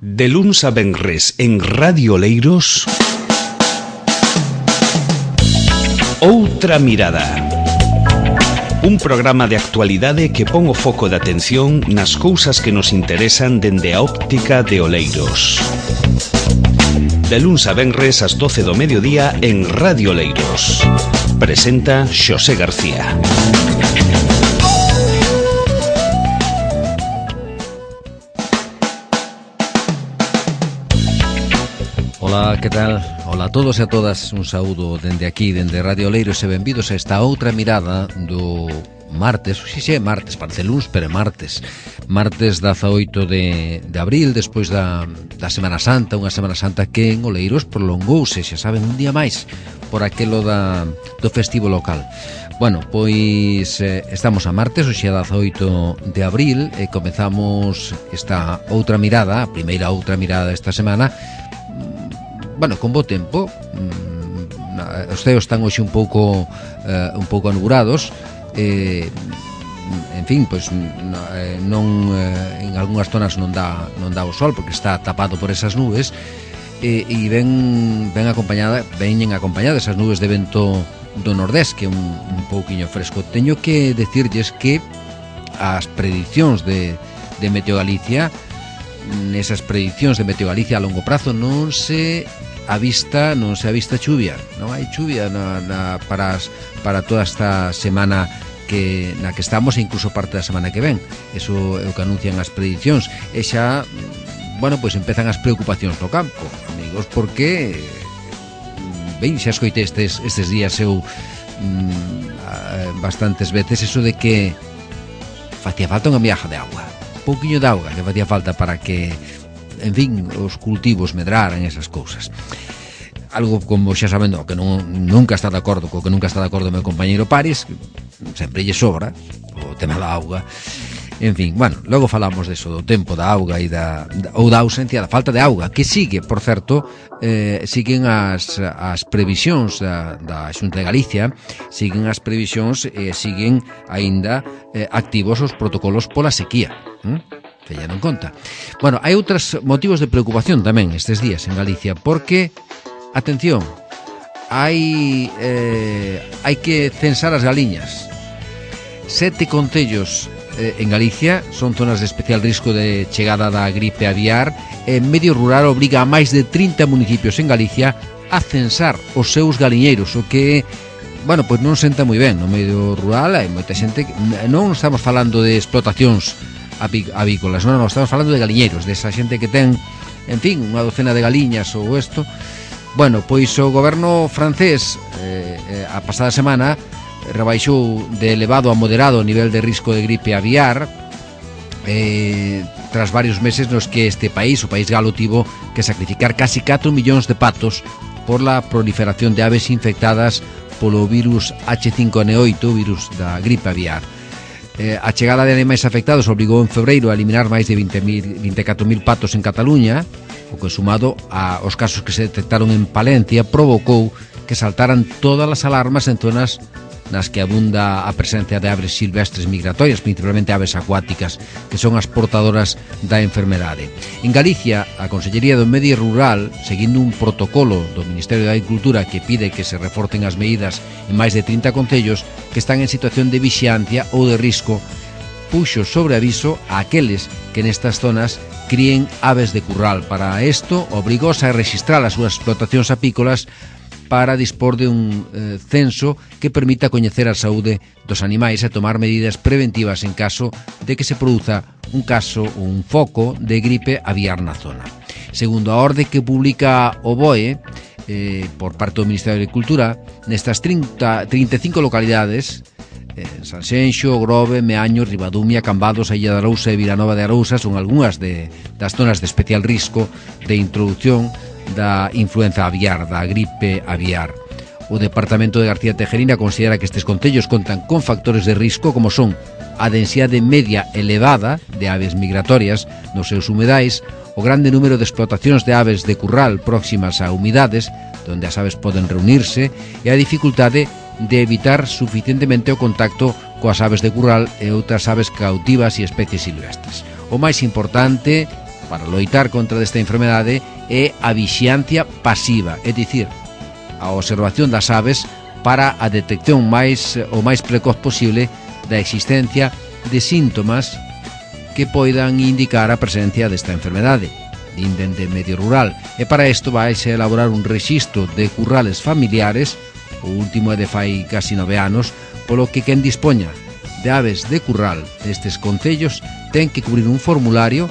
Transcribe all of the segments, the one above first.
De luns a venres en Radio Oleiros, Outra Mirada. Un programa de actualidade que pon o foco de atención nas cousas que nos interesan dende a óptica de Oleiros. De luns a venres ás 12 do mediodía en Radio Oleiros. Presenta Xosé García. Ola, que tal? Ola a todos e a todas, un saúdo dende aquí, dende Radio Oleiros, e benvidos a esta outra mirada do martes, xe, martes, parece luns, pero é martes 18 de abril, despois da Semana Santa, unha Semana Santa que en Oleiros prolongouse, xa saben, un día máis por aquelo do festivo local. Bueno, pois estamos a martes, hoxe é 18 de abril, e comezamos esta outra mirada, a primeira outra mirada desta semana. Bueno, con bo tempo, os ceos están hoxe un pouco anubulados, en fin, pois non en algunhas zonas non dá o sol porque está tapado por esas nubes, e veñen acompañadas esas nubes de vento do nordés, que é un pouquiño fresco. Teño que decirlles que as predicións de Meteo Galicia, nesas predicións de Meteo Galicia a longo prazo non se avista chuvia, non hai chuvia para toda esta semana na que estamos, e incluso parte da semana que ven. Eso é o que anuncian as predicións, e xa, bueno, pois empezan as preocupacións no campo, amigos, porque ben, xa escoitei estes días eu bastantes veces eso de que facía falta unha miaja de auga, un pouquiño de auga que facía falta para que, en fin, os cultivos medraran, esas cousas. Algo como xa saben, que nunca está de acordo co que nunca está de acordo o meu compañeiro Paris, sempre lle sobra o tema da auga. En fin, bueno, logo falamos deso, do tempo da auga e da ausencia, da falta de auga, que sigue, por certo, siguen as previsións da Xunta de Galicia, siguen as previsións e siguen aínda activos os protocolos pola sequía. Teñan en conta. Bueno, hai outros motivos de preocupación tamén estes días en Galicia, porque, atención, hai que censar as galiñas. 7 concellos en Galicia son zonas de especial risco de chegada da gripe aviar, e Medio Rural obriga a máis de 30 municipios en Galicia a censar os seus galiñeiros, o que, bueno, pois non senta moi ben. No medio rural hai moita xente que non estamos falando de explotacións avícolas, non, estamos falando de galiñeiros, desa xente que ten, en fin, unha docena de galiñas ou isto. Bueno, pois o goberno francés a pasada semana rebaixou de elevado a moderado o nivel de risco de gripe aviar, tras varios meses nos que este país, o país galo, tivo que sacrificar casi 4 millóns de patos por la proliferación de aves infectadas polo virus H5N8, virus da gripe aviar. A chegada de animais afectados obligou en febreiro a eliminar máis de 24.000 patos en Cataluña, o que, sumado aos casos que se detectaron en Palencia, provocou que saltaran todas as alarmas en zonas nas que abunda a presencia de aves silvestres migratorias, principalmente aves acuáticas, que son as portadoras da enfermedade. En Galicia, a Consellería do Medio Rural, seguindo un protocolo do Ministerio de Agricultura que pide que se reforcen as medidas en máis de 30 concellos que están en situación de vixiancia ou de risco, puxo sobre aviso a aqueles que nestas zonas críen aves de curral. Para isto, obrigóse a registrar as súas explotacións apícolas para dispor de un censo que permita coñecer a saúde dos animais e tomar medidas preventivas en caso de que se produza un caso ou un foco de gripe aviar na zona. Segundo a orde que publica o BOE, por parte do Ministerio de Agricultura, nestas 35 localidades, Sanxenxo, Grove, Meaño, Ribadumia, Cambados, a Illa de Arousa e Vilanova de Arousa son algunhas das zonas de especial risco de introducción da influenza aviar, da gripe aviar. O Departamento de García Tejerina considera que estes concellos contan con factores de risco como son a densidade media elevada de aves migratorias nos seus humedais, o grande número de explotacións de aves de curral próximas a humidades, onde as aves poden reunirse, e a dificultade de evitar suficientemente o contacto coas aves de curral e outras aves cautivas e especies silvestres. O máis importante para loitar contra esta enfermedade é a vixiancia pasiva, é dicir, a observación das aves para a detección o máis precoz posible da existencia de síntomas que poidan indicar a presencia desta enfermedade, dinden de medio rural. E para isto vaise a elaborar un rexistro de currales familiares, o último é de fai casi 9 anos, polo que quen dispoña de aves de curral destes concellos ten que cubrir un formulario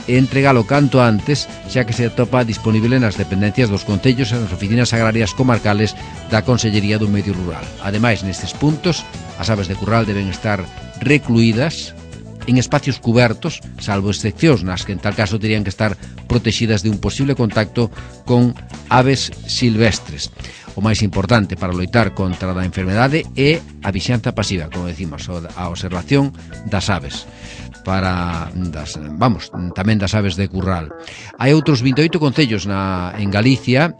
e entregalo canto antes, xa que se atopa disponible nas dependencias dos concellos e nas oficinas agrarias comarcales da Consellería do Medio Rural. Ademais, nestes puntos, as aves de curral deben estar recluídas en espacios cubertos, salvo excepcións nas que en tal caso terían que estar protegidas de un posible contacto con aves silvestres. O máis importante para loitar contra a enfermedade é a vixianza pasiva, como decimos, a observación das aves, tamén das aves de curral. Hai outros 28 concellos en Galicia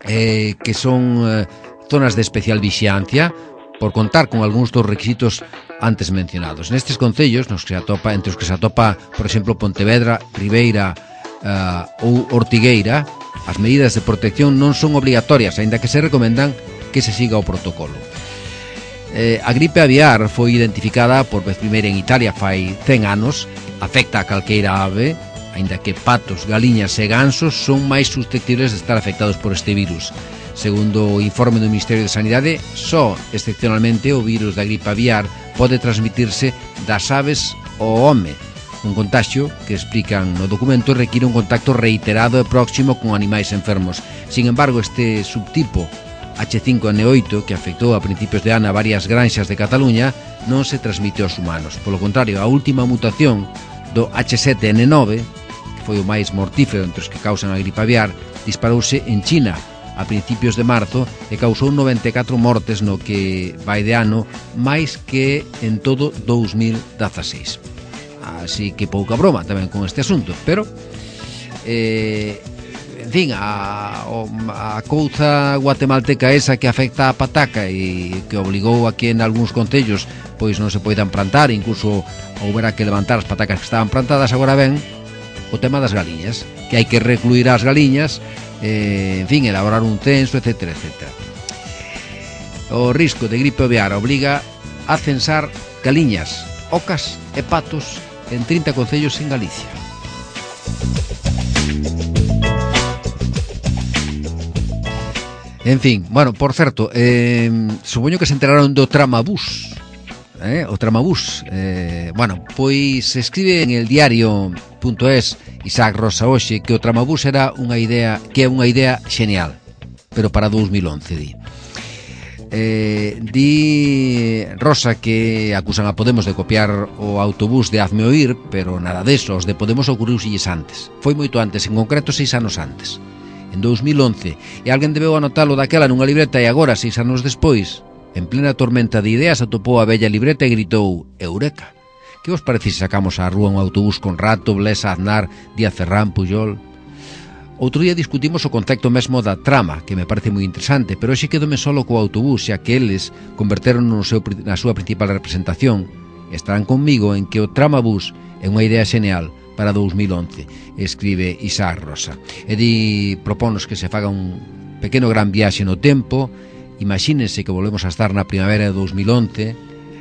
que son zonas de especial vixiancia, por contar con algúns dos requisitos antes mencionados. Nestes concellos, entre os que se atopa, por exemplo, Pontevedra, Ribeira ou Ortigueira, as medidas de protección non son obrigatorias, aínda que se recomendan que se siga o protocolo. A gripe aviar foi identificada por vez primeira en Italia fai 100 anos, afecta a calqueira ave, aínda que patos, galiñas e gansos son máis susceptibles de estar afectados por este virus. Segundo o informe do Ministerio de Sanidade, só excepcionalmente o virus da gripe aviar pode transmitirse das aves ao home. Un contagio que, explican no documento, require un contacto reiterado e próximo con animais enfermos. Sin embargo, este subtipo H5N8, que afectou a principios de ano a varias granxas de Cataluña, non se transmite aos humanos. Polo contrario, a última mutación do H7N9, que foi o máis mortífero entre os que causan a gripe aviar, disparouse en China a principios de marzo e causou 94 mortes no que vai de ano, máis que en todo 2016. Así que pouca broma tamén con este asunto, pero en fin, a couza guatemalteca esa que afecta a pataca e que obligou a que en algúns concellos pois non se poidan plantar, incluso houbera que levantar as patacas que estaban plantadas. Agora ben o tema das galiñas, que hai que recluir as galiñas, en fin, elaborar un censo, etcétera, etcétera. O risco de gripe aviar obliga a censar galiñas, ocas e patos en 30 concellos en Galicia. En fin, bueno, por certo, supoño que se enteraron do tramabús, o tramabús. Bueno, pois escribe en el diario.es Isaac Rosa hoxe que o tramabús era unha idea xenial, pero para 2011, di. Di Rosa que acusan a Podemos de copiar o autobús de Hazme Oír, pero nada deso, os de Podemos ocorriusilles antes. Foi moito antes, en concreto 6 anos antes, en 2011, e alguén debeu anotalo daquela nunha libreta, e agora, 6 anos despois, en plena tormenta de ideas, atopou a bella libreta e gritou: Eureka! Que vos parece se sacamos á rúa un autobús con Rato, Blesa, Aznar, Díaz Ferrán, Pujol? Outro día discutimos o concepto mesmo da trama, que me parece moi interesante, pero hoxe quedome solo co autobús, xa que eles converteron na súa principal representación. Estarán conmigo en que o tramabús é unha idea xenial para 2011, escribe Isaac Rosa. E propónnos que se faga un pequeno gran viaxe no tempo. Imagínense que volvemos a estar na primavera de 2011,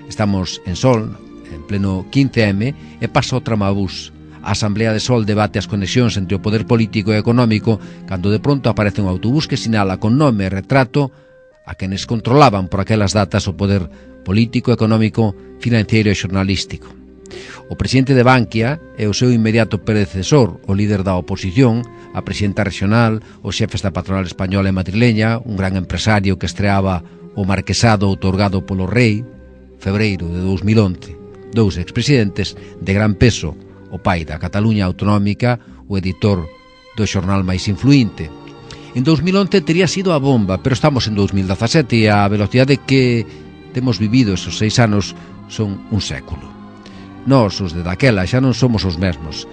estamos en Sol, en pleno 15M, e pasa o tramabús. A Asamblea de Sol debate as conexións entre o poder político e económico cando de pronto aparece un autobús que sinala con nome e retrato a quenes controlaban por aquelas datas o poder político, económico, financiero e xornalístico. O presidente de Bankia e o seu inmediato predecesor, o líder da oposición, a presidenta regional, os xefes da patronal española e madrileña, un gran empresario que estreaba o marquesado outorgado polo rei, febreiro de 2011, dous expresidentes de gran peso, o pai da Cataluña autonómica, o editor do xornal máis influinte. En 2011 tería sido a bomba, pero estamos en 2017 e a velocidade que temos vivido esos 6 anos son un século. Nós, os de daquela, xa non somos os mesmos.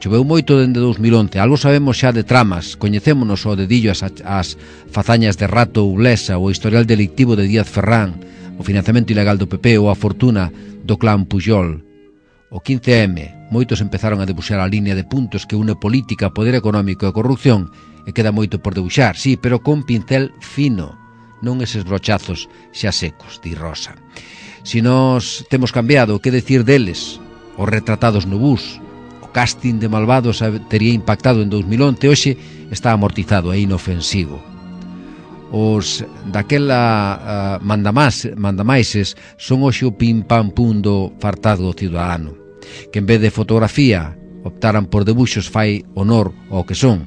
Choveu moito dende 2011, algo sabemos xa de tramas, coñecémonos ao dedillo as fazañas de Rato ou Blesa, o historial delictivo de Díaz Ferrán, o financiamento ilegal do PP ou a fortuna do clan Pujol. O 15M, moitos empezaron a debuxar a línea de puntos que une política, poder económico e corrupción, e queda moito por debuxar, sí, pero con pincel fino, non eses brochazos xa secos, di Rosa. Si nós temos cambiado, que decir deles? Os retratados no bus, o casting de Malvados tería impactado en 2011, hoxe está amortizado e inofensivo. Os daquela mandamaises son hoxe o pim-pam-pum do fartado ciudadano, que en vez de fotografía optaran por debuxos fai honor ao que son,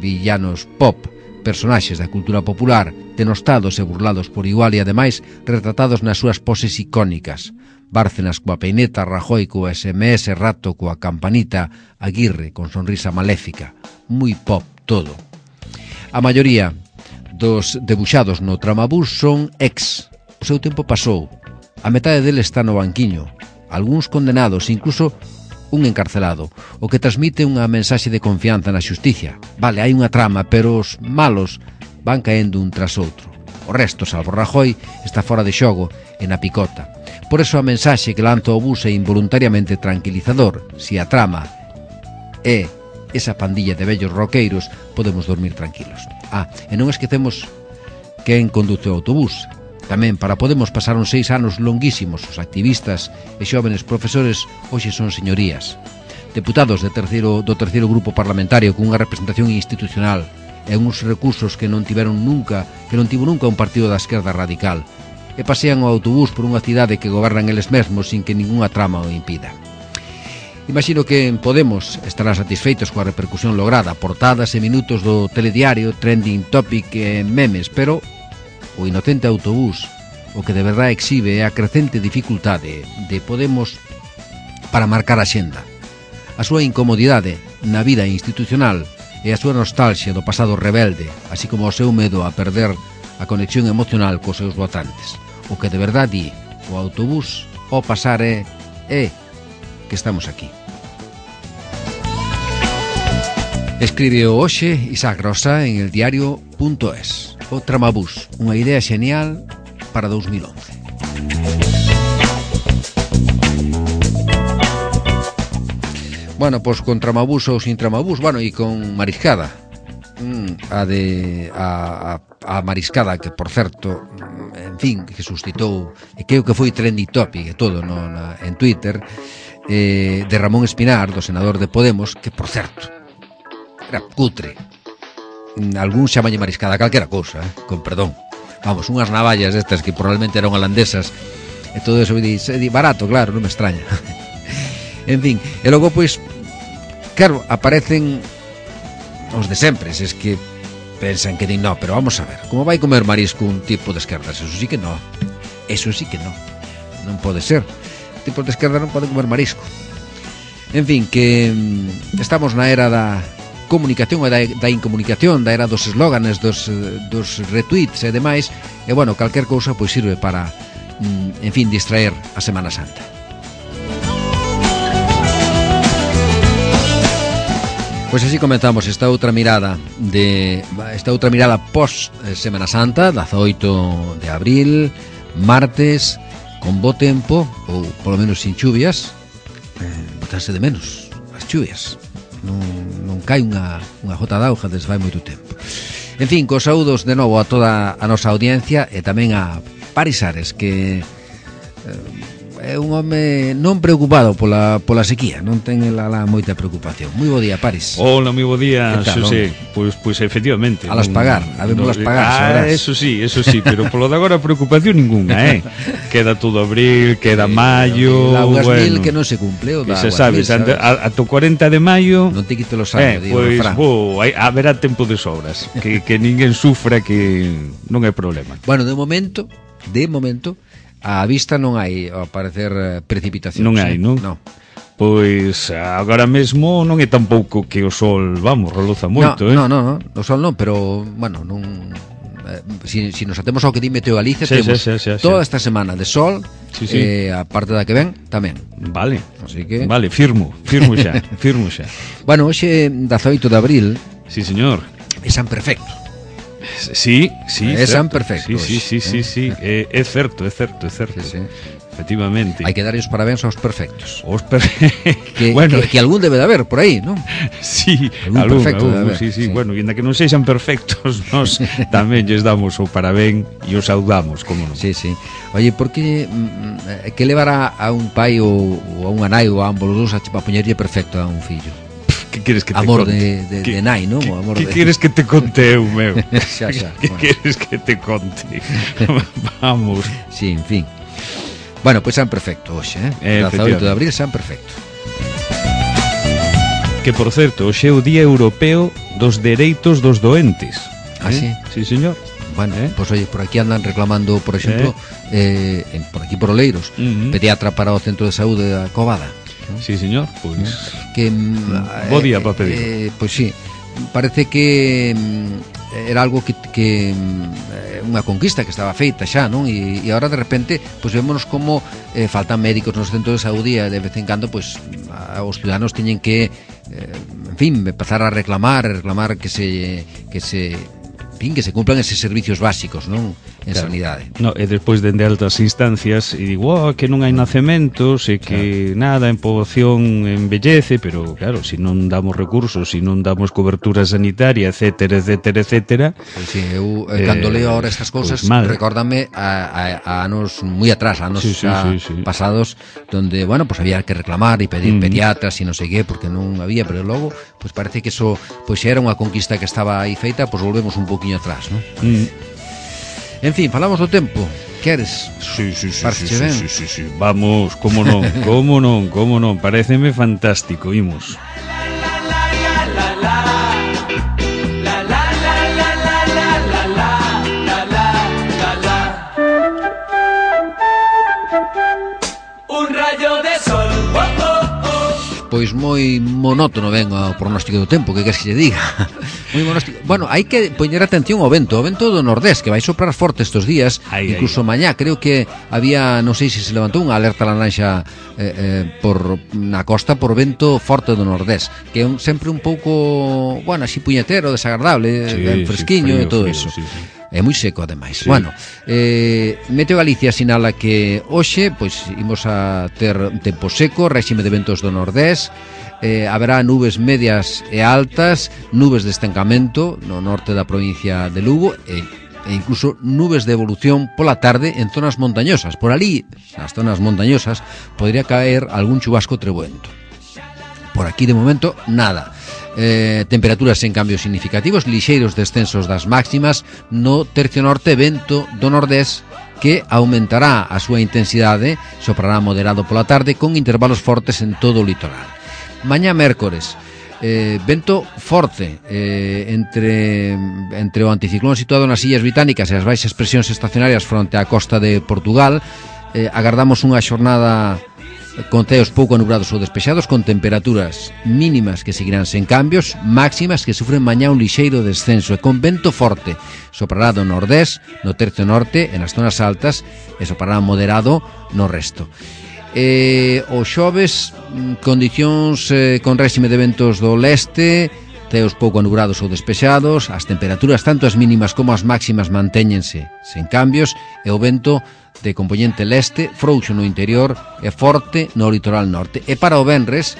villanos pop, personaxes da cultura popular, denostados e burlados por igual e ademais retratados nas súas poses icónicas. Bárcenas coa peineta, Rajoy coa SMS, Rato coa campanita, Aguirre con sonrisa maléfica. Moi pop todo. A maioría dos debuxados no Tramabús son ex. O seu tempo pasou. A metade deles está no banquiño. Algúns condenados, incluso un encarcelado, o que transmite unha mensaxe de confianza na xusticia. Vale, hai unha trama, pero os malos van caendo un tras outro. O resto, salvo Rajoy, está fora de xogo e na picota. Por eso a mensaxe que lanza o bus é involuntariamente tranquilizador. Si a trama é esa pandilla de vellos roqueiros, podemos dormir tranquilos. E non esquecemos quen conduce o autobús. Tamén para Podemos pasaron 6 anos longuísimos. Os activistas e xóvenes profesores hoxe son señorías. Deputados do terceiro grupo parlamentario con unha representación institucional e uns recursos que non tivo nunca un partido da esquerda radical. E pasean o autobús por unha cidade que gobernan eles mesmos sin que ningunha trama o impida. Imagino que en Podemos estarán satisfeitos coa repercusión lograda, portadas e minutos do telediario, trending topic e memes, pero o inocente autobús o que de verdade exhibe é a crecente dificultade de Podemos para marcar a xenda, a súa incomodidade na vida institucional e a súa nostalgia do pasado rebelde, así como o seu medo a perder a conexión emocional cos seus votantes. O que de verdade di o autobús ao pasar é que estamos aquí. Escribe hoxe Isaac Rosa en el diario.es. O Tramabús, unha idea xenial para 2011. Bueno, pois con Tramabús ou sin Tramabús, bueno, e con Mariscada. A Mariscada, que por certo, en fin, que suscitou, e creo que foi trending topic e todo en Twitter, de Ramón Espinar, do senador de Podemos, que por certo era cutre. Algún chamalle Mariscada calquera cousa, con perdón. Vamos, unhas navallas estas que probablemente eran holandesas e todo eso, barato, claro, non me extraña. En fin, e logo, pois, claro, aparecen os de sempre, es que pensan que din, no, pero vamos a ver, como vai comer marisco un tipo de esquerdas? Eso sí que no, non pode ser. Tipos de esquerda non poden comer marisco. En fin, que estamos na era da comunicación e da incomunicación, da era dos eslóganes, dos retweets e demais, e bueno, calquer cousa pois sirve para, en fin, distraer a Semana Santa. Pois así comenzamos esta outra mirada post Semana Santa, 18 de abril, martes, con bo tempo, ou polo menos sin chuvias. Botarse de menos as chuvias. Non cai unha gota de auga desde fai moito tempo. En fin, cos saúdos de novo a toda a nosa audiencia e tamén a Paris Ares, que é un home non preocupado pola sequía, non ten lá moita preocupación. Moi bo día, Paris. Hola, moi bo día, Xosé. Pois efectivamente. A las pagar, habémolas pagar, eso sí, pero polo de agora preocupación ninguna, Queda todo abril, queda maio, la Augas Mil que non se cumple, o da Augas Mil, sabes? Ato 40 de maio non te quito los anos, pois haberá tempo de sobras, que ninguén sufra, que non hai problema. Bueno, de momento a vista non hai ao parecer precipitacións. Non hai, non? Non. Pois agora mesmo non é tampouco que o sol, vamos, reluza moito, Non, o sol non, pero bueno, non si nos atemos ao que di Meteo Galicia, temos toda esta semana de sol, a parte da que ven tamén. Vale. Así que vale, firmo xa. Bueno, hoxe 18 de abril. Sí, señor. É San Perfecto. Sí, é San Perfecto. Sí. É certo. Sí. efectivamente. Hai que dar os parabéns aos perfectos. Que algún debe de haber por aí, non? Sí, algún perfecto debe haber. Sí. Bueno, e ainda que non sexan perfectos, nos tamén lles damos o parabén e os saudamos, como non. Sí. Oye, por que levará a un pai ou a unha nai ou a ambos os dous a poñerlle perfecto a un fillo? Que queres que te amor conte? de nai, non? Que queres que te conte eu, meu? xa. Que queres que te conte? Vamos. Sí, en fin. Bueno, pois San Perfecto hoxe, 18 de abril, San Perfecto. Que, por certo, hoxe é o Día Europeo dos Dereitos dos Doentes. Sí? Sí, señor. Bueno, pois oye, por aquí andan reclamando, por exemplo, por aquí por Oleiros, pediatra para o Centro de Saúde da Covada. Sí, señor, pois que bo día para pedir. Pois sí, parece que era algo que unha conquista que estaba feita xa, non? E agora de repente pois vémonos como faltan médicos nos centros de saúde e de vez en cando pois os ciudadanos teñen que en fin, empezar a reclamar que se cumplan eses servicios básicos, non? En sanidade. No, e despois dende altas instancias e digo, que non hai nacementos e que nada, en poboación envellece, pero claro, se non damos recursos, se non damos cobertura sanitaria, etcétera. Pois sí, eu cando leo ahora estas cousas, pues recórdame a anos moi atrás, anos pasados, donde, bueno, pues había que reclamar e pedir pediatras e non sei que, porque non había, pero logo, pues parece que eso, pues era unha conquista que estaba aí feita, pues volvemos un poquinho atrás, non? En fin, falamos do tempo. Queres? Sí. Vamos, como non, paréceme fantástico, imos. Un rayo de sol. Pois moi monótono ven o pronóstico do tempo, que queres que lle diga? Moi monóstico. Bueno, hai que poñer atención ao vento do nordés, que vai soprar forte estes días, incluso mañá, creo que había, non sei se se levantou unha alerta laranxa na costa por vento forte do nordés, que é sempre un pouco, bueno, así puñetero, desagradable, fresquiño e todo eso. Sí. É moi seco, ademais. Sí. Bueno, Meteo Galicia sinala que hoxe pois imos a ter tempo seco, réxime de ventos do nordés, haberá nubes medias e altas, nubes de estancamento no norte da provincia de Lugo e incluso nubes de evolución pola tarde en zonas montañosas. Por ali, nas zonas montañosas, podría caer algún chubasco trebuento. Por aquí, de momento, nada. Temperaturas sen cambios significativos, lixeiros descensos das máximas no tercio norte, vento do nordés que aumentará a súa intensidade, soprará moderado pola tarde con intervalos fortes en todo o litoral. Mañá mércores, vento forte entre o anticiclón situado nas Illas Británicas e as baixas presións estacionarias fronte á costa de Portugal. Agardamos unha xornada con ceos pouco nubrados ou despexados, con temperaturas mínimas que seguirán sen cambios, máximas que sufren mañá un lixeiro descenso e con vento forte. Soprará do nordés, no tercio norte, en as zonas altas, e soprará moderado no resto. O xoves, condicións con réxime de ventos do leste, ceos pouco nubrados ou despexados, as temperaturas, tanto as mínimas como as máximas, mantéñense sen cambios, e o vento de componente leste, frouxo no interior e forte no litoral norte. E para o venres,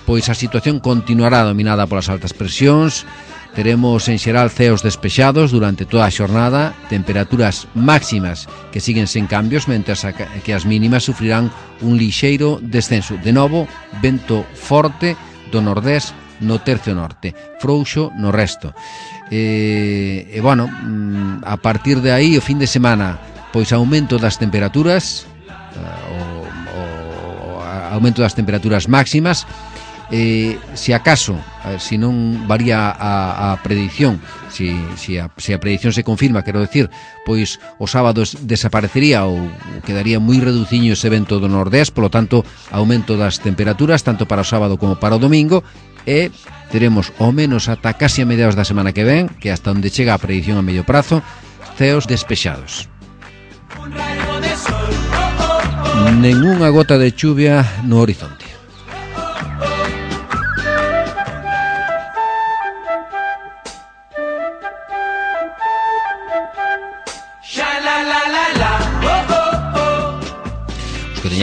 pois a situación continuará dominada polas altas presións, teremos en xeral ceos despexados durante toda a xornada, temperaturas máximas que siguen sen cambios, mentras que as mínimas sufrirán un lixeiro descenso. De novo, vento forte do nordés no tercio norte, frouxo no resto. E bueno, a partir de aí, o fin de semana, pois aumento das temperaturas, aumento das temperaturas máximas. Se acaso, se non varía a predición, se a predición se confirma, quero decir, pois o sábado desaparecería ou quedaría moi reduciño ese vento do nordés, polo tanto, aumento das temperaturas tanto para o sábado como para o domingo, e teremos ao menos ata casi a mediados da semana que ven, que hasta onde chega a predición a medio prazo, ceos despexados. Nengunha gota de chuvia no horizonte.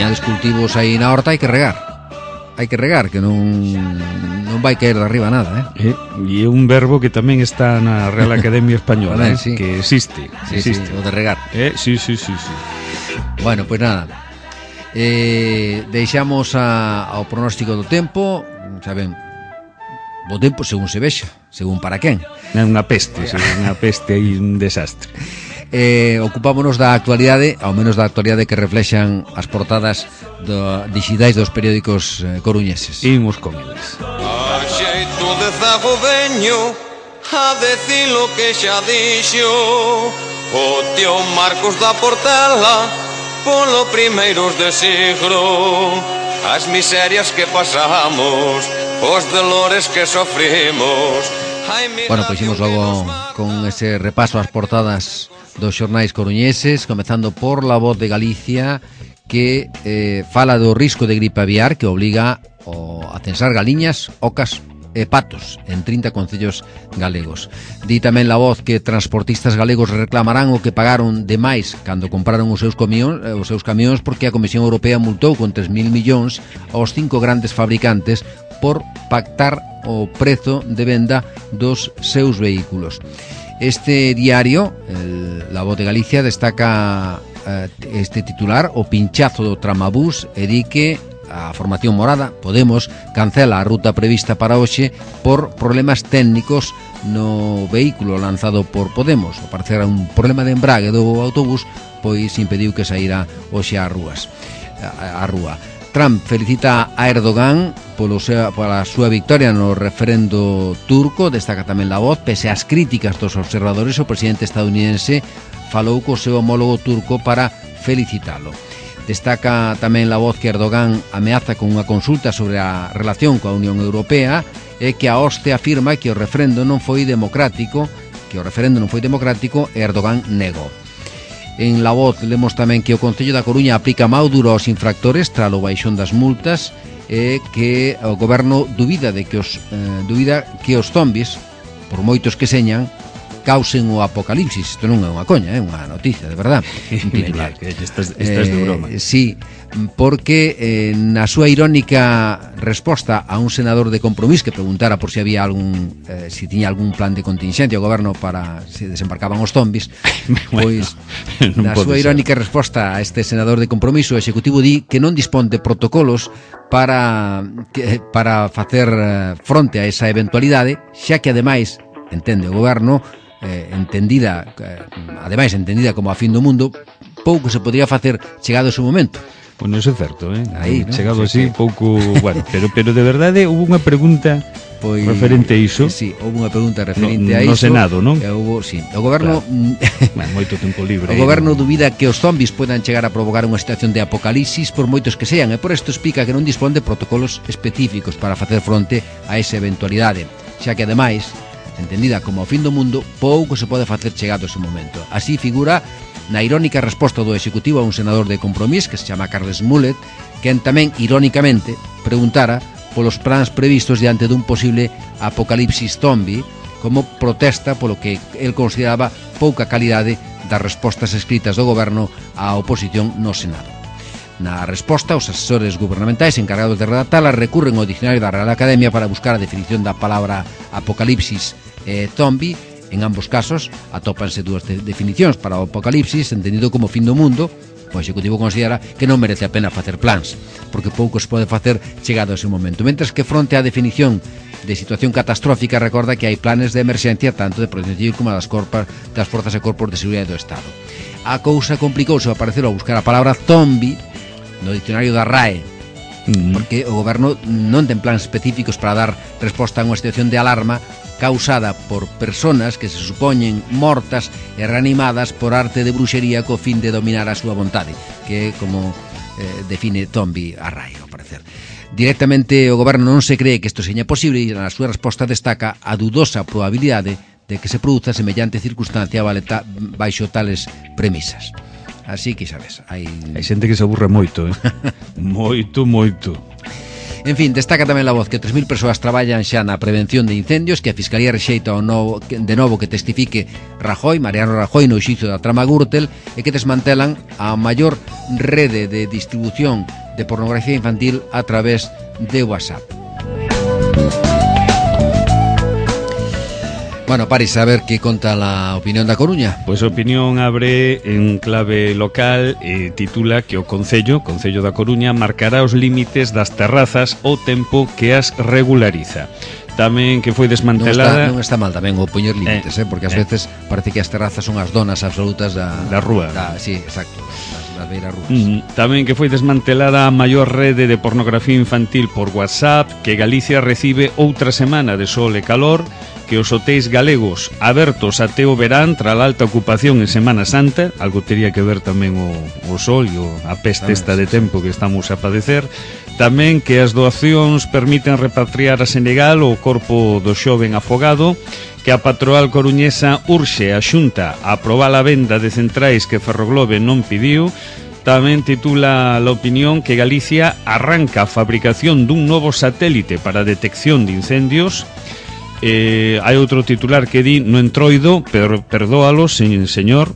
teñades cultivos aí na horta, hai que regar, que non vai caer de arriba nada, E é un verbo que tamén está na Real Academia Española, sí. que existe. Sí, o de regar. Sí. Bueno, pois nada, deixamos ao pronóstico do tempo. Saben, o tempo según se vexa, según para quen. É unha peste, aí un desastre. Ocupámonos da actualidade, ao menos da actualidade que reflexan as portadas digitais dos periódicos coruñeses. Imos con eles. A xeito de zago veño a decir lo que xa dixo o tío Marcos da Portela polo primeiros de siglo. As miserias que pasamos, os dolores que sofrimos. Bueno, pois imos logo con ese repaso ás portadas dos xornais coruñeses, comezando por La Voz de Galicia, que fala do risco de gripe aviar que obliga a censar galiñas, ocas e patos en 30 concellos galegos. Di tamén La Voz que transportistas galegos reclamarán o que pagaron de máis cando compraron os seus camións porque a Comisión Europea multou con 3.000 millóns aos 5 grandes fabricantes por pactar o prezo de venda dos seus vehículos. Este diario, La Voz de Galicia, destaca este titular: o pinchazo do tramabús, e di que a formación morada, Podemos, cancela a ruta prevista para hoxe por problemas técnicos no vehículo lanzado por Podemos. Ao parecer un problema de embrague do autobús, pois impediu que saíra hoxe á rúa. Trump felicita a Erdogan pola súa victoria no referendo turco. Destaca tamén La Voz, pese ás críticas dos observadores, o presidente estadounidense falou co seu homólogo turco para felicitalo. Destaca tamén La Voz que Erdogan ameaza con unha consulta sobre a relación coa Unión Europea e que a hoste afirma que o referendo non foi democrático e Erdogan negou. En La Voz lemos tamén que o Concello da Coruña aplica mau duro aos infractores tras o baixón das multas e que o goberno dubida que os zombis, por moitos que señan, causen o apocalipsis. Isto non é unha coña, é unha noticia, de verdad. Estás de broma. Sí, porque na súa irónica resposta a un senador de Compromís que preguntara por si había si tiña algún plan de contingencia o goberno para se desembarcaban os zombis, pois na súa irónica resposta a este senador de Compromiso, o Executivo di que non dispón de protocolos para facer fronte a esa eventualidade, xa que ademais, entende o goberno, entendida como a fin do mundo, pouco se podría facer chegado ese momento. Bueno, eso é certo, Aí, ¿no? Chegado Sí, así, pouco, bueno, pero de verdade houve unha pregunta referente a iso. Sí, houve unha pregunta referente a iso. No Senado, non? Sí, o goberno moito tempo libre. O goberno dubida que os zombis podan chegar a provocar unha situación de apocalipsis por moitos que sean, e por isto explica que non dispón de protocolos específicos para facer fronte a esa eventualidade, xa que ademais, entendida como o fin do mundo, pouco se pode facer chegado ese momento. Así figura na irónica resposta do Executivo a un senador de Compromís que se chama Carles Mulet, quen tamén irónicamente preguntara polos plans previstos diante dun posible apocalipsis zombie, como protesta polo que el consideraba pouca calidade das respostas escritas do goberno á oposición no Senado. Na resposta, os asesores gubernamentais encargados de redactala recurren ao Dicionario da Real Academia para buscar a definición da palabra apocalipsis e zombie. En ambos casos atópanse dúas definicións para o apocalipsis, entendido como fin do mundo. O Executivo considera que non merece a pena facer plans, porque pouco se pode facer chegado a ese momento. Mentres que fronte á definición de situación catastrófica recorda que hai planes de emerxencia tanto de protección civil como das forzas e corpos de seguridade do Estado. A cousa complicouse ao parecer ao buscar a palabra zombie no dicionario da RAE, porque o goberno non ten plans específicos para dar resposta a unha situación de alarma causada por personas que se supoñen mortas e reanimadas por arte de bruxería co fin de dominar a súa vontade, que é como define zombie a RAE, ao parecer. Directamente o goberno non se cree que isto seña posible e na súa resposta destaca a dudosa probabilidade de que se produza semellante circunstancia baixo tales premisas. Así que, sabes, hai xente que se aburre moito, moito. En fin, destaca tamén La Voz que 3.000 persoas traballan xa na prevención de incendios, que a Fiscalía rexeita de novo que testifique Mariano Rajoy no xuizo da trama Gürtel, e que desmantelan a maior rede de distribución de pornografía infantil a través de WhatsApp. Bueno, Paris, a ver qué conta la opinión da Coruña. Pois a opinión abre en clave local e titula que o Concello da Coruña marcará os límites das terrazas ao tempo que as regulariza. Tamén que foi desmantelada... Non está mal tamén o poñer límites, porque ás veces parece que as terrazas son as donas absolutas da rúa. Sí, exacto, das beiras rúas. Tamén que foi desmantelada a maior rede de pornografía infantil por WhatsApp, que Galicia recibe outra semana de sol e calor, que os hotéis galegos abertos até o verán tras a alta ocupación en Semana Santa, algo teria que ver tamén o sol e a peste esta de tempo que estamos a padecer. Tamén que as doacións permiten repatriar a Senegal o corpo do xoven afogado, que a patronal coruñesa urxe a Xunta a aprobar a venda de centrais que Ferroglobe non pediu. Tamén titula La Opinión que Galicia arranca a fabricación dun novo satélite para a detección de incendios. Hai outro titular que di no entroido, perdóalo, señor.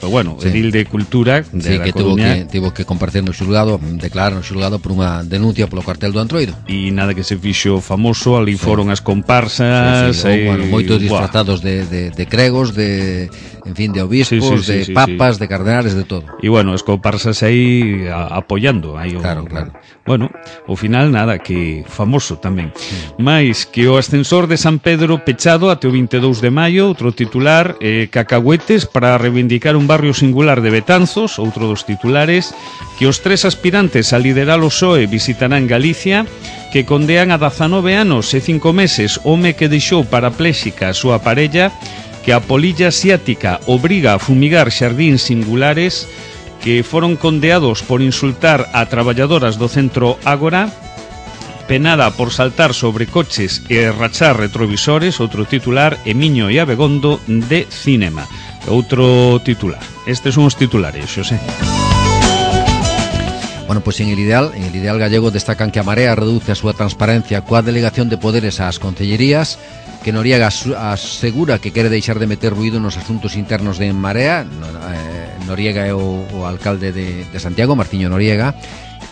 Bueno, sí. Edil de Cultura de que tivo que comparecer no xulgado, declarar no xulgado por unha denuncia polo cartel do Antroido. E nada que se fixo famoso, ali foron as comparsas, moitos disfrazados de cregos, de obispos, de papas, de cardenales, de todo. E bueno, as comparsas aí apoiando. Claro. Bueno, ao final nada, que famoso tamén. Mais que o ascensor de San Pedro pechado até o 22 de maio, outro titular, cacahuetes para reivindicar un barrio singular de Betanzos, outro dos titulares, que os 3 aspirantes a liderar o PSOE visitarán Galicia, que condean a 19 anos e 5 meses home que deixou parapléxica a súa parella, que a polilla asiática obriga a fumigar xardíns singulares, que foron condeados por insultar a traballadoras do centro Ágora, penada por saltar sobre coches e rachar retrovisores, outro titular, e Miño e Abegondo de Cinema. Outro titular. Estes son os titulares, Xosé. Bueno, pois en el ideal gallego destacan que a Marea reduce a súa transparencia coa delegación de poderes ás concellerías, que Noriega asegura que quere deixar de meter ruído nos asuntos internos de Marea. Noriega é o alcalde de Santiago, Martiño Noriega,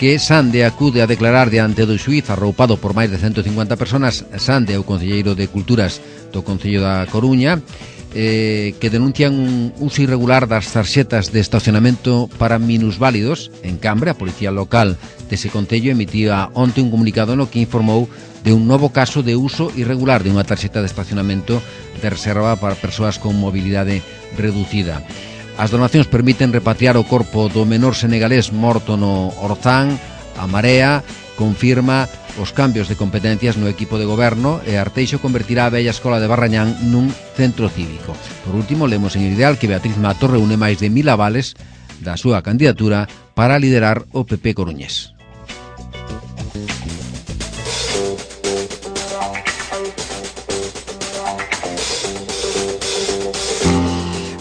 que Sande acude a declarar diante do xuíz arroupado por máis de 150 personas. Sande é o concelleiro de Culturas do Concello da Coruña, que denuncian un uso irregular das tarxetas de estacionamento para minusválidos. En Cambre, a Policía Local dese concello emitía onte un comunicado no que informou de un novo caso de uso irregular de unha tarxeta de estacionamento de reserva para persoas con mobilidade reducida. As donacións permiten repatriar o corpo do menor senegalés morto no Orzán. A Marea confirma os cambios de competencias no equipo de goberno e Arteixo convertirá a bella escola de Barrañán nun centro cívico. Por último, lemos en el ideal que Beatriz Mato reúne máis de 1000 avales da súa candidatura para liderar o PP coruñés.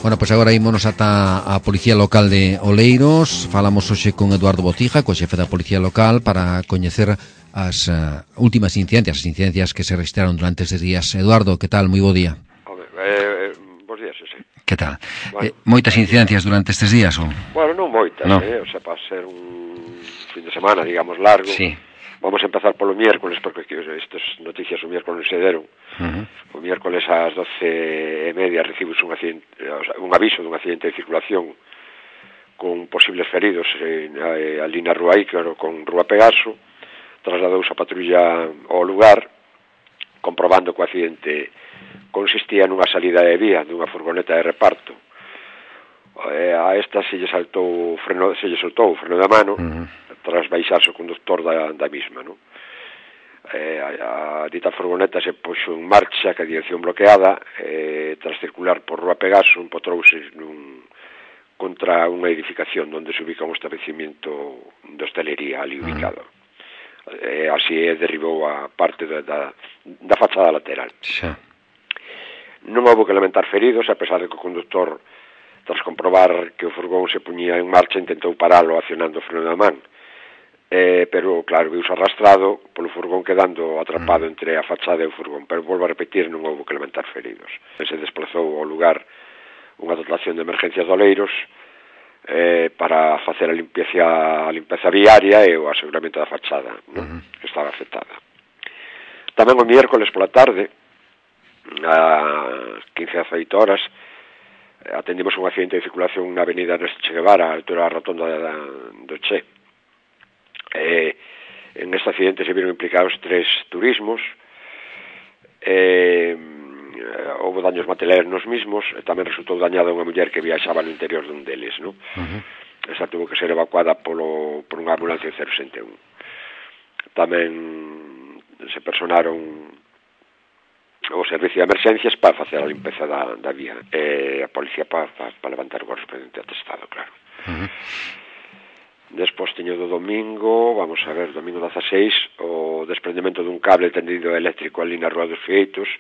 Bueno, pois agora ímonos ata a Policía Local de Oleiros. Falamos hoxe con Eduardo Bocija, co xefe da Policía Local, para coñecer as últimas incidencias que se registraron durante estes días. Eduardo, que tal? Moi bo día. Bos días, sí. Que tal? Bueno, moitas incidencias durante estes días, ou? Bueno, non moitas, no. O sea, para ser un fin de semana, digamos, largo. Sí. Vamos a empezar polo miércoles, porque estas noticias o miércoles se deron. O miércoles ás 12:30 recibimos un aviso dun accidente de circulación con posibles feridos ali na Rúa Ícaro con Rúa Pegaso. Trasladouse a patrulla ao lugar, comprobando que o accidente consistía nunha salida de vía dunha furgoneta de reparto. A esta se lle soltou o freno da mano tras baixarse o conductor da misma, non? A dita furgoneta se puxo en marcha ca dirección bloqueada, tras circular por Rúa Pegaso empotrouse contra unha edificación onde se ubica un establecimiento de hostelería ali ubicado. Así derribou a parte da fachada lateral. Non houve que lamentar feridos, a pesar de que o conductor, tras comprobar que o furgón se puñía en marcha, intentou paralo accionando o freno da man. pero claro, viuse arrastrado polo furgón quedando atrapado entre a fachada e o furgón, pero volvo a repetir, non houve que lamentar feridos. Se desplazou ao lugar unha dotación de emergencias de Oleiros para facer a limpeza viaria e o aseguramento da fachada, que estaba afectada. Tamén o miércoles pola tarde, a 15 a 18 horas, atendimos un accidente de circulación na avenida Ernesto Che Guevara, a altura da rotonda do Che. En este accidente se viron implicados 3 turismos, houve daños materiais nos mismos, e tamén resultou dañada unha muller que viaxaba no interior dun deles, non? Esa tuvo que ser evacuada por unha ambulancia 061. Tamén se personaron o servicio de emerxencias para facer a limpeza da vía, e a policía para levantar o correspondente atestado, claro. Despois teño do domingo, vamos a ver, domingo 16, o desprendemento dun cable tendido eléctrico ali na Rúa dos Fieitos,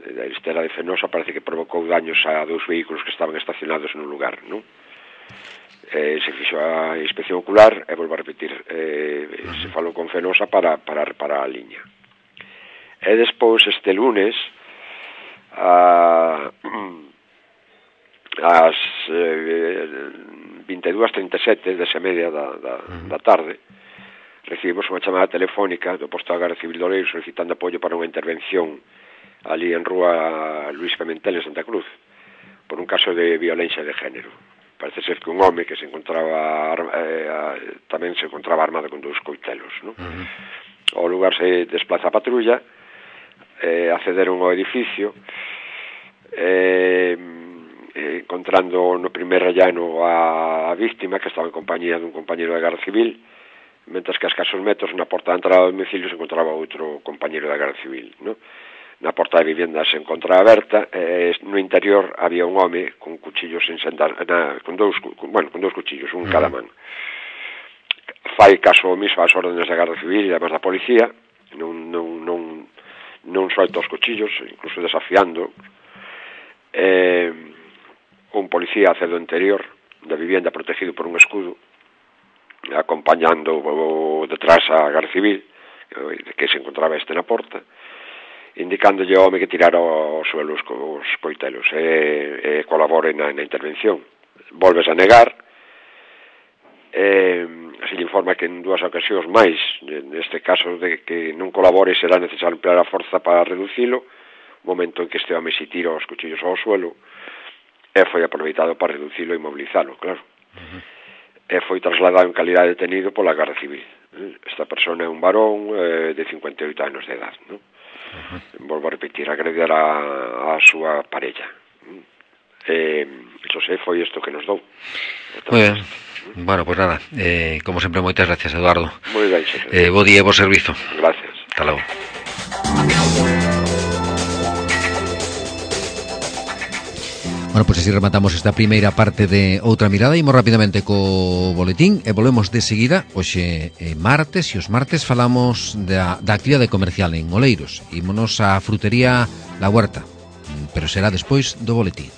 da Estela de Fenosa, parece que provocou daños a 2 vehículos que estaban estacionados no lugar, non? Se fixo a inspección ocular, e volvo a repetir, se falou con Fenosa para reparar a liña. E despois, este lunes, ás 22:37, 10:30 da tarde, recibimos unha chamada telefónica do posto da Garda Civil de Oleiros solicitando apoio para unha intervención ali en Rúa Luís Pimentel en Santa Cruz por un caso de violencia de género. Parece ser que un home que se encontraba tamén se encontraba armado con 2 coitelos, non? Ao lugar se desplaza a patrulla, accederon ao edificio, encontrando no primer rellano a víctima, que estaba en compañía dun compañeiro da Garda Civil, mentres que a escasos metros na porta de entrada do domicilio se encontraba outro compañeiro da Garda Civil, non? Na porta de vivenda se encontra aberta, no interior había un home con cuchillos con dous cuchillos, un en cada man. Fai caso omiso ás órdenes da Garda Civil e además da policía, non solta os cuchillos, incluso desafiando. Un policía accede ao interior da vivienda protegido por un escudo, acompañando detrás a Garda Civil, que se encontraba na porta, indicándolle ao home que tirara ao suelo os coitelos e colabore na intervención. Volves a negar, se lle informa que en 2 ocasións máis, neste caso de que non colabore, será necesario emplear a forza para reducilo, momento en que este home se tira os cuchillos ao suelo, e foi aproveitado para reducilo e mobilizalo, claro. E foi trasladado en calidad de detenido pola Garda Civil. Esta persona é un varón de 58 anos de edad, non? Volvo a repetir, agreder a súa parella. Iso foi isto que nos dou. Moi ben. Bueno, pues nada, como sempre, moitas gracias, Eduardo. Moi ben, xefe. Bo día e bo servizo. Gracias. Hasta logo. Bueno, pois así rematamos esta primeira parte de Outra Mirada. Imos rapidamente co boletín e volvemos de seguida. Hoxe martes, e os martes falamos da actividade comercial en Oleiros. Ímonos á frutería La Huerta, pero será despois do boletín.